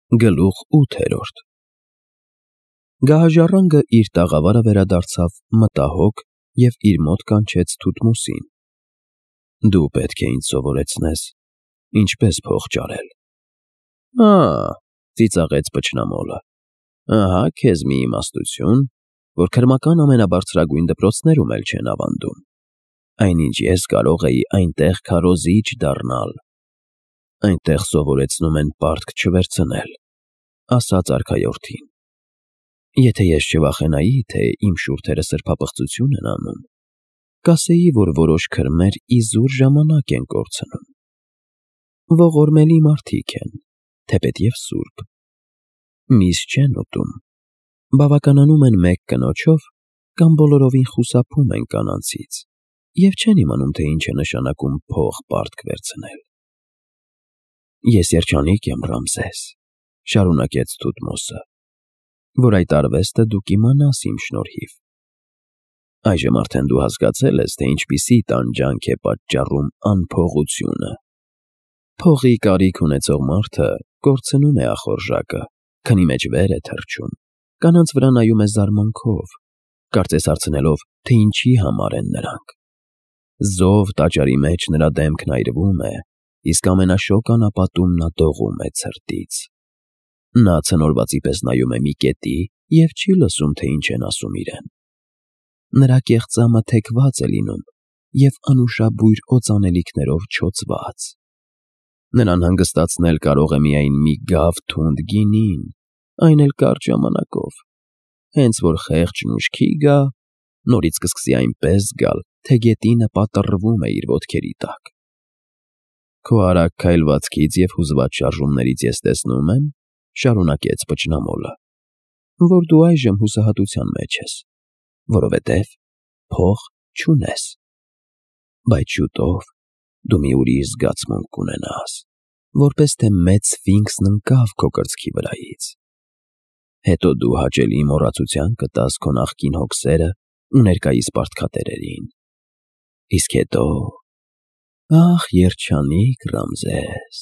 Գլուխ 8 Գահաժառանգը իր տաղավարը վերադարձավ մտահոգ և իր մոտ կանչեց Թութմոսին. «Դու պետք է ինձ սովորեցնես ինչպես փող ճարել»։ Ծիծաղեց փչնամոլը, ահա քեզ մի իմաստություն, որ քրմական ամենաբարձրագույն դպրոցներում էլ չեն ավանդում, այնինչ ես կարող էի այնտեղ քարոզիչ դառնալ։ Այնտեղ սովորեցնում են պարտք չվերցնել, ասաց արքայորդին։ Եթե ես չվախենայի, թե իմ շուրթերը սրբապղծություն են անում, կասեի, որ որոշ քրմեր իզուր ժամանակ են կորցնում։ Ողորմելի մարդիկ են, թեպետև սուրբ, միս չեն ուտում, բավականանում են մեկ կնոջով կամ բոլորովին խուսափում են կանանցից և չեն իմանում, թե ինչ է նշանակում փող պարտք վերցնել։ Ես երջանիկ եմ, Ռամզես, շարունակեց Թութմոսը, որ այդ արվեստը դու կիմանաս իմ շնորհիվ։ Այժմ արդեն դու հասկացել ես, թե ինչպիսի տանջանք է պատճառում անփողությունը։ Փողի կարիք ունեցող մարդը կորցնում է ախորժակը, քնի մեջ վեր է թռչում, կանանց վրա նայում է զարմանքով, կարծես հարցնելով, թե ինչի համար են նրանք։ Զով տաճարի մեջ նրա դեմքն այրվում է, իսկ ամենաշոգ անապատում նա դողում է ցրտից։ Նա ցնորվածի պես նայում է մի կետի և չի լսում, թե ինչ են ասում իրեն։ Նրա կեղծամը թեքված է լինում և անուշաբույր օծանելիքներով չոծված։ Նրան հանգստացնել կարող է միայն մի գավ թունդ գինին, այն էլ կարճ ժամանակով, հենց որ խեղճն ուշքի գա, նորից կսկսի այնպես զգալ, թե գետինը պատռվում է իր ոտքերի տակ։ Քո արագ քայլվածքից և հուզված շարժումներից ես տեսնում եմ, շարունակեց փչնամոլը, որ դու այժմ հուսահատության մեջ ես, որովհետև փող չունես, բայց շուտով դու մի ուրիշ զգացմունք կունենաս, որպես թե մեծ սֆինքսն ընկավ քո կրծքի վրայից։ Հետո դու հաճելի մոռացության կտաս քո նախկին հոգսերն ու ներկայիս պարտքատերերին։ Իսկ հետո… Ախ, երջանիկ Ռամզես,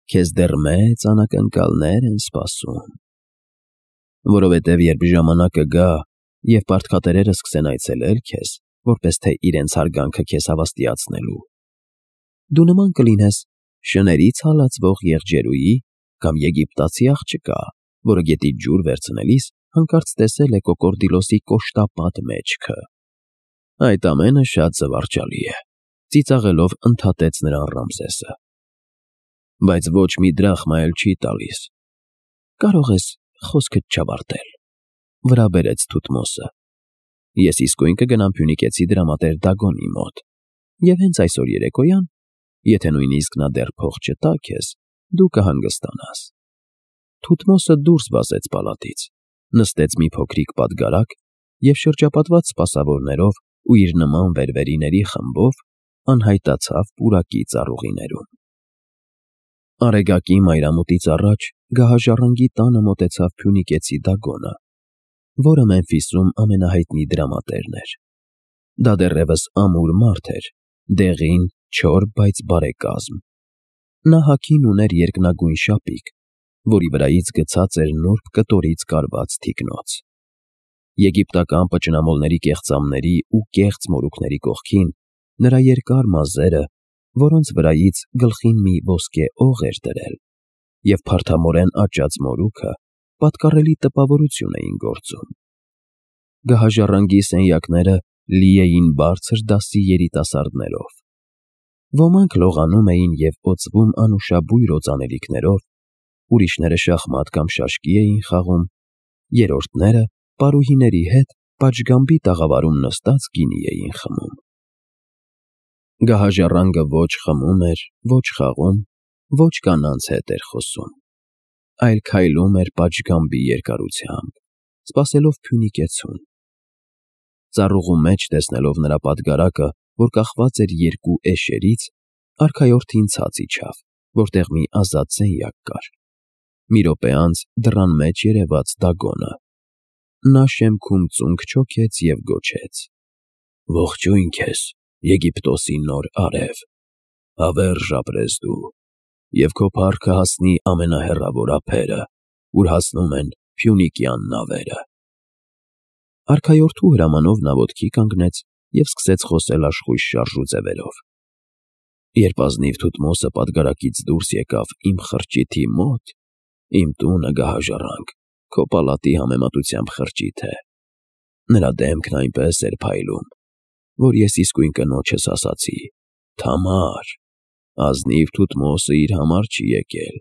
քեզ դեռ մեծ անակնկալներ են սպասում։ Որովհետև երբ ժամանակը գա, և պարտքատերերը սկսեն այցելել քեզ, որպես թե իրենց հարգանքը քեզ հավաստիացնելու, դու նման կլինես շներից հալածվող եղջերուի կամ եգիպտացի աղջկա, որը գետից ջուր վերցնելիս հանկարծ տեսել է կոկորդիլոսի կոշտապատ մեջքը։ Այդ ամենը շատ զվարճալի է, ծիծաղելով ընդհատեց նրան Ռամզեսը։ Բայց ոչ մի դրախմա էլ չի տալիս։ Կարող ես խոսքդ չավարտել, վրա բերեց Թութմոսը։ Ես իսկույն կգնամ Փյունիկեցի դրամատեր Դագոնի մոտ, և հենց այսօր երեկոյան, եթե նույնիսկ նա դեռ փող չտա քեզ, դու կհանգստանաս։ Թութմոսը դուրս վազեց պալատից, նստեց մի փոքրիկ պատգարակ և շրջապատված սպասավորներով ու իր նման վերվերիների խմբով անհայտացավ պուրակի ծառուղիներում։ Արեգակի մայրամուտից առաջ գահաժառանգի տանը մոտեցավ Փյունիկեցի Դագոնը, որը Մեմֆիսում ամենահայտնի դրամատերն էր։ Դա դեռևս ամուր մարդ էր, դեղին, չոր, բայց բարեկազմ։ Նա հագին ուներ երկնագույն շապիկ, որի վրայից գցած էր նուրբ կտորից կարված թիկնոց։ Եգիպտական պճնամոլների կեղծամների ու կեղծ մորուքների կողքին նրա երկար մազերը, որոնց վրայից գլխին մի ոսկե օղ էր դրել, և փարթամորեն աճած մորուքը պատկառելի տպավորություն էին գործում։ Գահաժառանգի սենյակները լի էին բարձր դասի երիտասարդներով։ Ոմանք լողանում էին և օծվում անուշաբույր օծանելիքներով, ուրիշները շախմատ կամ շաշկի էին խաղում, երրորդները պարուհիների հետ պատշգամբի տաղավարում նստած գինի էին խմում։ Գահաժառանգը ոչ խմում էր, ոչ խաղում, ոչ կանանց հետ էր խոսում, այլ քայլում էր պատշգամբի երկարությամբ, սպասելով Փյունիկեցուն։ Ծառուղու մեջ տեսնելով նրա պատգարակը, որ կախված էր երկու էշերից, արքայորդին ցած իջավ, որտեղ մի ազատ սենյակ կար։ Մի րոպե անց դռան մեջ երևաց Դագոնը։ Նա շեմքում ծունկ չոքեց և գոչեց. Ողջույն քեզ, Եգիպտոսի նոր արև, հավերժ ապրես դու։ և քո փառքը հասնի ամենահեռավոր ափերը, ուր հասնում են Փյունիկյան նավերը։ Արքայորդու հրամանով նա ոտքի կանգնեց և սկսեց խոսել աշխույժ շարժուձևերով։ Երբ ազնիվ Թութմոսը պատգարակից դուրս եկավ իմ խրճիթի մոտ, իմ տունը գահաժառանգ, քո պալատի համեմատությամբ խրճիթ է։ Նրա դեմքն այնպես էր փայլում, որ ես իսկույն կնոջս ասացի. «Թամար, ազնիվ Թութմոսը իր համար չի եկել,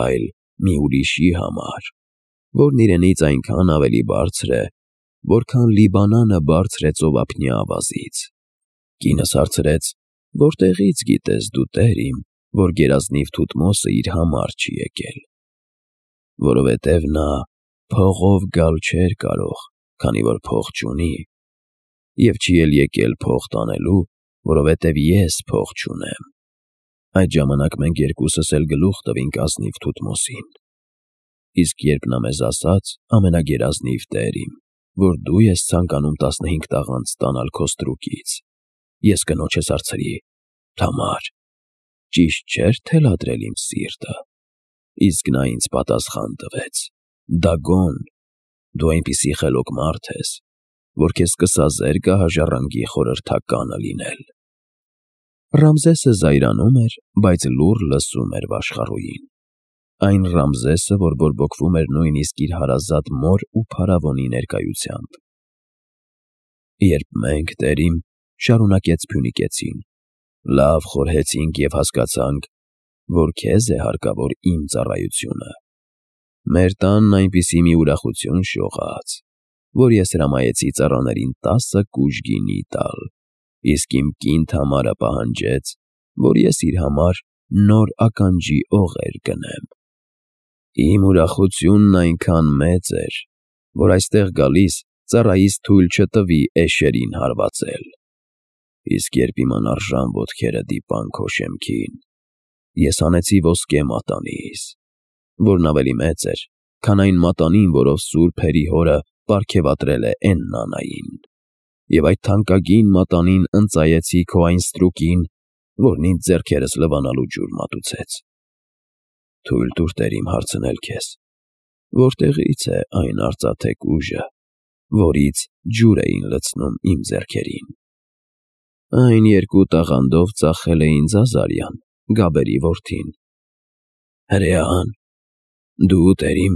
այլ մի ուրիշի համար, որն իրենից այնքան ավելի բարձր է, որքան Լիբանանը բարձր է ծովափնյա ավազից»։ Կինս հարցրեց. «Որտեղից գիտես դու, տեր իմ, որ գերազնիվ Թութմոսը իր համար չի եկել»։ Որովհետև նա փողով գալ չէր կարող, քանի որ փող չունի, և չի էլ եկել փող տանելու, որովհետև ես փող չունեմ։ Այդ ժամանակ մենք երկուսս էլ գլուխ տվինք ազնիվ Թութմոսին։ Իսկ երբ նա մեզ ասաց. «Ամենագերազնիվ տեր իմ, որ դու ես ցանկանում 15 տաղանդ ստանալ քո ստրուկից», ես կնոջս հարցրի. «Թամար, ճիշտ չէր թելադրել իմ սիրտը»։ Իսկ նա ինձ պատասխան տվեց. «Դագոն, դու այնպիսի խելոք մարդ ես, որ քեզ կսազեր գահաժառանգի խորհրդականը լինել»։ Ռամզեսը զայրանում էր, բայց լուռ լսում էր վաշխառուին։ Այն Ռամզեսը, որ բորբոքվում էր նույնիսկ իր հարազատ մոր ու փարավոնի ներկայությամբ։ Երբ մենք, տեր իմ, շարունակեց Փյունիկեցին, լավ խորհեցինք և հասկացանք, որ քեզ է հարկավոր իմ ծառայությունը։ Մեր տանն այնպիսի մի ուրախություն շողաց, որ ես հրամայեցի ծառաներին 10 կուժ գինի տալ, իսկ իմ կին Թամարը պահանջեց, որ ես իր համար նոր ականջի օղեր գնեմ։ Իմ ուրախությունն այնքան մեծ էր, որ այստեղ գալիս ծառայիս թույլ չտվի էշերին հարվածել։ Իսկ երբ իմ անարժան ոտքերը դիպան քո շեմքին, ես հանեցի ոսկե մատանիս, որն ավելի մեծ էր, քան այն մատանին, որով Սուրբ Հերի հորը պարգևատրել է Էննանային, և այդ թանկագին մատանին ընծայեցի քո այն ստրուկին, որն ինձ ձեռքերս լվանալու ջուր մատուցեց։ Թույլ տուր, տեր իմ, հարցնել քեզ. որտեղի՞ց է այն արծաթե կուժը, որից ջուր էին լցնում իմ ձեռքերին։ Այն 2 տաղանդով ծախել է ինձ Ազարյան, Գաբերի որդին։ Հրեան, դու, տեր իմ,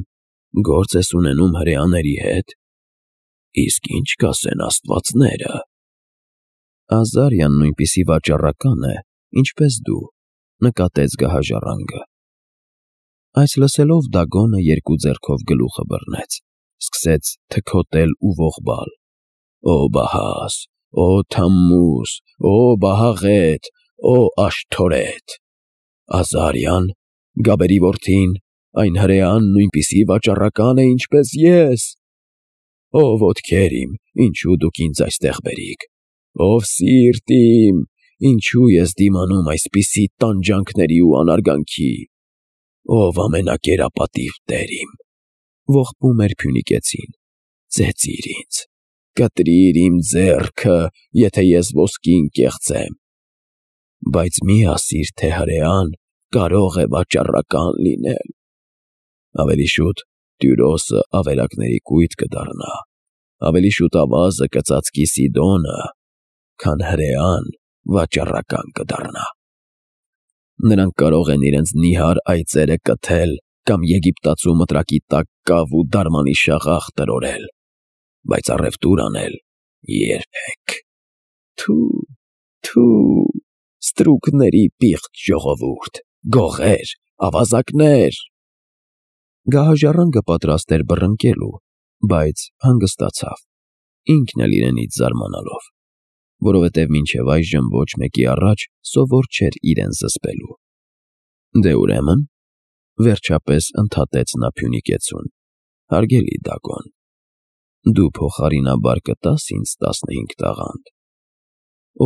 գործ ես ունենում հրեաների հետ։ Իսկ ինչ կասեն աստվածները։ Ազարյան նույնպիսի վաճառական է, ինչպես դու, նկատեց գահաժառանգը։ Այս լսելով Դագոնը 2 ձեռքով գլուխը բռնեց, սկսեց թքոտել ու ողբալ. «Ո Բահաս, ո Թամմուզ, ո Բահաղետ, ո Աշթորեթ, Ազարյան, Գաբերի որդին, այն հրեան նույնպիսի վաճառական է, ինչպես ես։ Ով ոտքեր իմ, ինչու դուք ինձ այստեղ բերիք, ով սիրտ իմ, ինչու ես դիմանում այսպիսի տանջանքների ու անարգանքի, ով ամենակերապատիվ տեր իմ», ողբում էր Փյունիկեցին, «ծեծիր ինձ, կտրիր իմ ձեռքը, եթե ես ոսկին կեղծեմ, բայց մի ասիր, թե հրեան կարող է վաճառական լինել։ Ավելի շուտ Տյուրոսը ավերակների կույտ կդառնա, ավելի շուտ ավազը կծածկի Սիդոնը, քան հրեան վաճառական կդառնա։ Նրանք կարող են իրենց նիհար այծերը կթել կամ Եգիպտացու մտրակի տակ կավ ու դարմանի շաղախ տրորել, բայց առևտուր անել երբեք։ Թու, ստրուկների պիղծ ժողովուրդ, գողեր, ավազակներ»։ Գահաժառանգը պատրաստ էր բռնկելու, բայց հանգստացավ, ինքն էլ իրենից զարմանալով, որովհետև մինչև այժմ ոչ մեկի առաջ սովոր չէր իրեն զսպելու։ Դե ուրեմն, վերջապես ընդհատեց նա Փյունիկեցուն, հարգելի Դագոն, դու փոխարինաբար կտա՞ս ինձ 15 տաղանդ։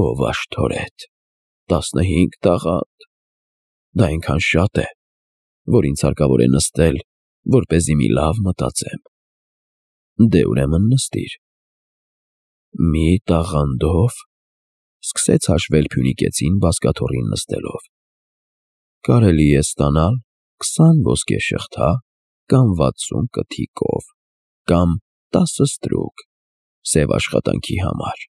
Ով Աշթորեթ, 15 տաղանդ, դա այնքան շատ է, որ ինձ հարկավոր է նստել, որպեսզի մի լավ մտածեմ։ Դե ուրեմն նստիր։ Մի տաղանդով, սկսեց հաշվել Փյունիկեցին բազկաթոռին նստելով։ կարելի է ստանալ 20 ոսկե շղթա կամ 60 կթիկով, կամ 10 ստրուկ սև աշխատանքի համար,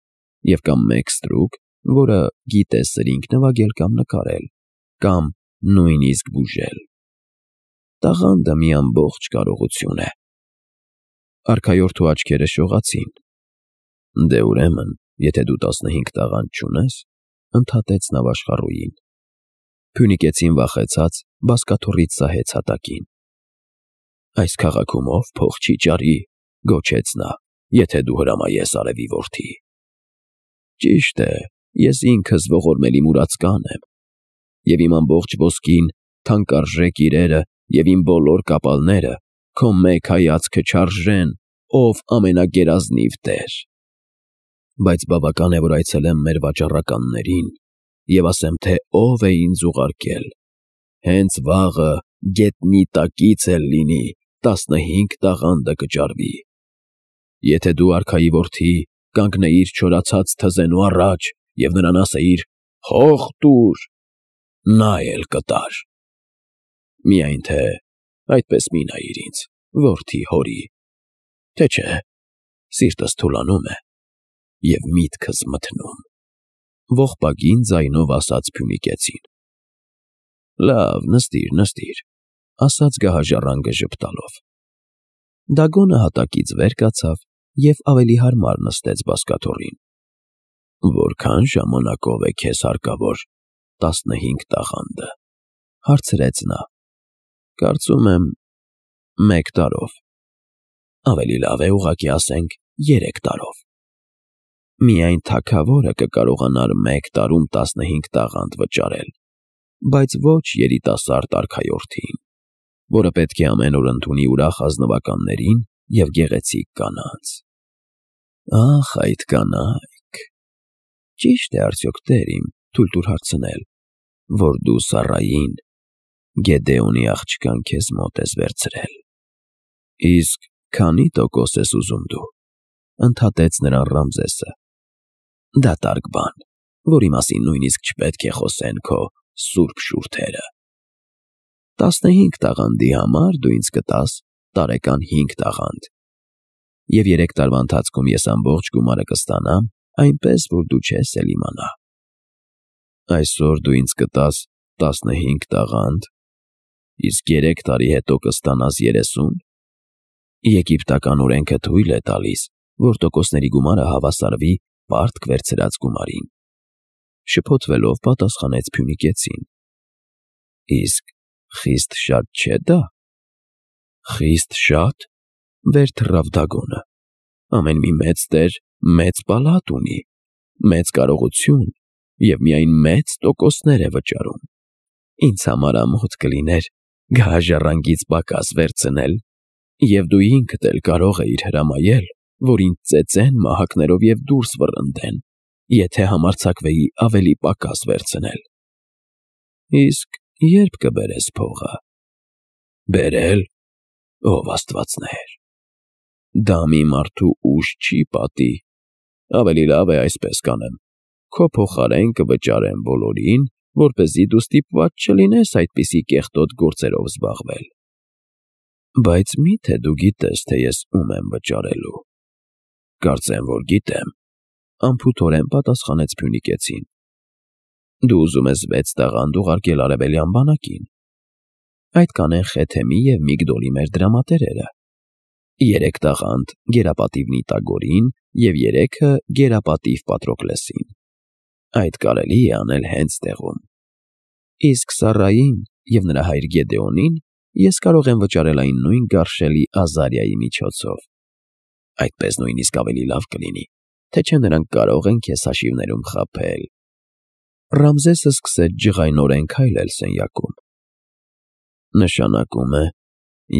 և կամ 1 ստրուկ, որը գիտե սրինգ նվագել կամ նկարել, կամ նույնիսկ բուժել։ Տաղանդը մի ամբողջ կարողություն է։ Արքայորդու աչքերը շողացին։ Դե ուրեմն, եթե դու 15 տաղանդ չունես, ընդհատեց նավաշխառուին։ Փյունիկեցին վախեցած բազկաթոռից սահեց հատակին։ Այս քաղաքում ով փող չի ճարի, գոչեց նա, եթե դու հրամայես արևի որդի։ Ճիշտ է, ես ինքս ողորմելի մուրացկան եմ, և իմ ամբողջ ոսկին, թանկարժեք իրերը և իմ բոլոր կապալները քո մեկ հայացքը չարժեն, ով ամենագերազնիվ տեր։ Բայց բավական է, որ այցելեմ մեր վաճառականներին և ասեմ, թե ով է ինձ ուղարկել։ Հենց վաղը գետնի տակից էլ լինի 15 տաղանդը կճարվի։ Եթե դու արքայի որդի, կանգնեիր չորացած թզենու առաջ և նրան ասեիր. «Հող տուր», նա էլ կտար։ Միայն թե այդպես մի նայիր ինձ, որդի հորի, թե չէ սիրտս թուլանում է և միտքս մթնում, ողբագին ձայնով ասաց փյունիկեցին։ Լավ, նստիր, ասաց գահաժառանգը ժպտալով։ Դագոնը հատակից վեր կացավ և ավելի հարմար նստեց բազկաթոռին։ Որքան ժամանակով է քեզ հարկավոր 15 տաղանդը, հարցրեց նա։ Կարծում եմ 1 տարով։ Ավելի լավ է ուղղակի ասենք 3 տարով։ Միայն թագավորը կկարողանար 1 տարում 15 տաղանդ վճարել, բայց ոչ երիտասարդ արքայորդին, որը պետք է ամեն օր ընդունի ուրախ ազնվականներին և գեղեցիկ կանանց։ Ախ, այդ կանայք… Ճի՞շտ է արդյոք, տեր իմ, թույլ տուր հարցնել, որ դու Սառային, Գեդեոնի աղջկան քեզ մոտ ես վերցրել։ Իսկ քանի՞ տոկոս ես ուզում դու, ընդհատեց նրան Ռամզեսը։ Դատարկ բան, որի մասին նույնիսկ չպետք է խոսեն քո սուրբ շուրթերը։ 15 տաղանդի համար դու ինձ կտաս տարեկան 5 տաղանդ, և 3 տարվա ընթացքում ես ամբողջ գումարը կստանամ, այնպես, որ դու չես էլ իմանա։ Այսօր դու ինձ կտաս 15 տաղանդ, իսկ 3 տարի հետո կստանաս 30։ Եգիպտական օրենքը թույլ է տալիս, որ տոկոսների գումարը հավասարվի պարտք վերցրած գումարին։ Շփոթվելով պատասխանեց փյունիկեցին։ Իսկ խիստ շատ չէ՞ դա։ Խիստ շատ, վեր թռավ Դագոնը։ Ամեն մի մեծ տեր մեծ պալատ ունի, մեծ կարողություն և միայն մեծ տոկոսներ է վճարում։ Ինձ համար ամոթ կլիներ գահաժառանգից պակաս վերցնել, և դու ինքդ էլ կարող էիր հրամայել, որ ինձ ծեծեն մահակներով և դուրս վռնդեն, եթե համարձակվեի ավելի պակաս վերցնել։ Իսկ ե՞րբ կբերես փողը։ Բերել… Ով աստվածներ… Դա մի մարդու ուժ չի պատի։ Ավելի լավ է այսպես կանեմ. քո փոխարեն կվճարեմ բոլորին, որպեսզի դու ստիպված չլինես այդպիսի կեղտոտ գործերով զբաղվել։ Բայց մի՞թե դու գիտես, թե ես ում եմ վճարելու։ Կարծեմ, որ գիտեմ, անփութորեն պատասխանեց փյունիկեցին։ Դու ուզում ես 6 տաղանդ ուղարկել արևելյան բանակին։ Այդ կանեն Խեթեմի և Միգդոլի մեր դրամատերերը։ 3 տաղանդ գերապատիվ Նիտագորին և 3-ը գերապատիվ Պատրոկլեսին։ Այդ կարելի է անել հենց տեղում։ Իսկ Սառային և նրա հայր Գեդեոնին ես կարող եմ վճարել այն նույն գարշելի Ազարիայի միջոցով։ Այդպես նույնիսկ ավելի լավ կլինի, թե չէ նրանք կարող են քեզ հաշիվներում խաբել։ Ռամզեսը սկսեց ջղայնորեն քայլել սենյակում։ Նշանակում է,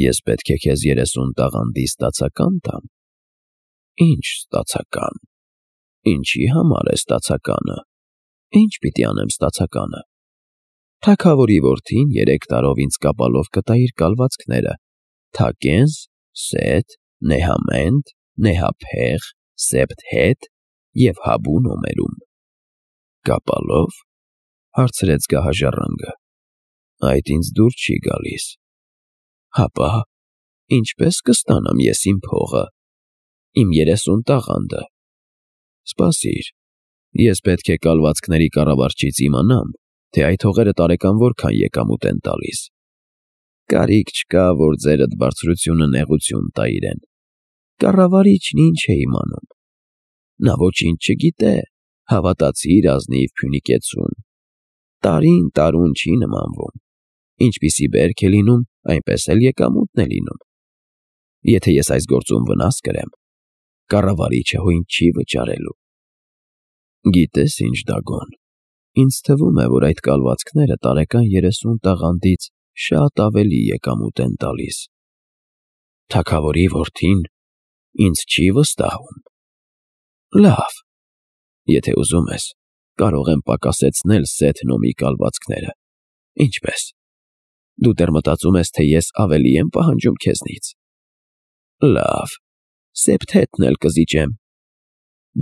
ես պետք է քեզ 30 տաղանդի ստացական տամ։ Ինչ ստացական։ Ինչի համար է ստացականը։ Ինչ պիտի անեմ ստացականը։ Թագավորի որդին 3 տարով ինձ կապալով կտա իր կալվածքները՝ Թակենզ, Սեթ, Նեհամենտ, Նեհափեղ, Սեփթհեթ և Հաբու նոմերում։ Կապալո՞վ, հարցրեց գահաժառանգը։ Այդ ինձ դուր չի գալիս։ Հապա, ինչպես կստանամ ես իմ փողը, իմ 30 տաղանդը։ Սպասիր, ես պետք է կալվածքների կառավարչից իմանամ, թե այդ հողերը տարեկան որքան եկամուտ են տալիս։ Կարիք չկա, որ ձերդ բարձրությունը նեղություն տա իրեն։ Կառավարիչն ինչ է իմանում։ Նա ոչինչ չգիտե, հավատացիր ազնիվ Փյունիկեցուն։ Տարին տարուն չի նմանվում։ Ինչպիսի բերք է լինում, այնպես էլ եկամուտն է լինում։ Եթե ես այս գործում վնաս կրեմ, կառավարիչը հույն չի վճարելու։ Գիտես ինչ, Դագոն, ինձ թվում է, որ այդ կալվածքները տարեկան 30 տաղանդից շատ ավելի եկամուտ են տալիս։ Թագավորի որդին ինձ չի վստահում։ Լավ, եթե ուզում ես, կարող եմ պակասեցնել Սեթ Նոմի կալվածքները։ Ինչպես։ Դու դեռ մտածում ես, թե ես ավելի եմ պահանջում քեզնից։ Լավ, Սեփթեթն էլ կզիջեմ։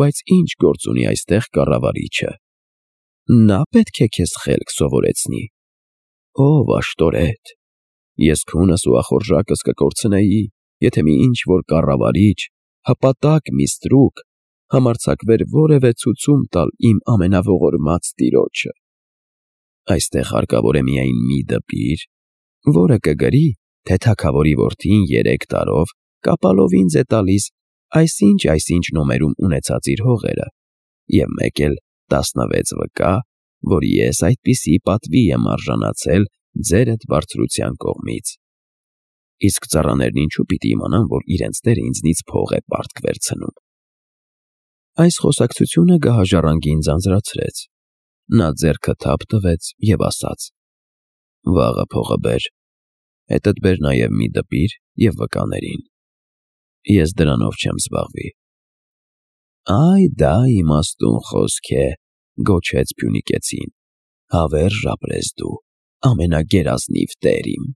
Բայց ինչ գործ ունի այստեղ կառավարիչը։ Նա պետք է քեզ խելք սովորեցնի։ Ով աշտորետ։ Ես քունս ու ախորժակս կկորցնեի, եթե մի ինչ-որ կառավարիչ, հպատակ մի ստրուկ, համարձակվեր որևէ ցուցում տալ իմ ամենաողորմած տիրոջը։ Այստեղ հարկավոր է միայն մի դպիր, որը կգրի, թե թագավորի որդին 3 տարով կապալով ինձ է տալիս այսինչ նոմերում ունեցած իր հողերը, և մեկ էլ 16 վկա, որ ես այդպիսի պատվի եմ արժանացել ձերդ բարձրության կողմից։ Իսկ ծառաներն ինչու պիտի իմանան, որ իրենց տերը ինձնից փող է պարտք վերցնում։ Այս խոսակցությունը գահաժառանգին ձանձրացրեց։ Նա ձեռքը թափ տվեց և ասաց. Վաղը փողը բեր, հետդ բեր նաև մի դպիր և վկաներին։ Ես դրանով չեմ զբաղվի։ Այ դա իմաստուն խոսք է, գոչեց Փյունիկեցին, հավերժ ապրես դու, ամենագերազնիվ տեր իմ։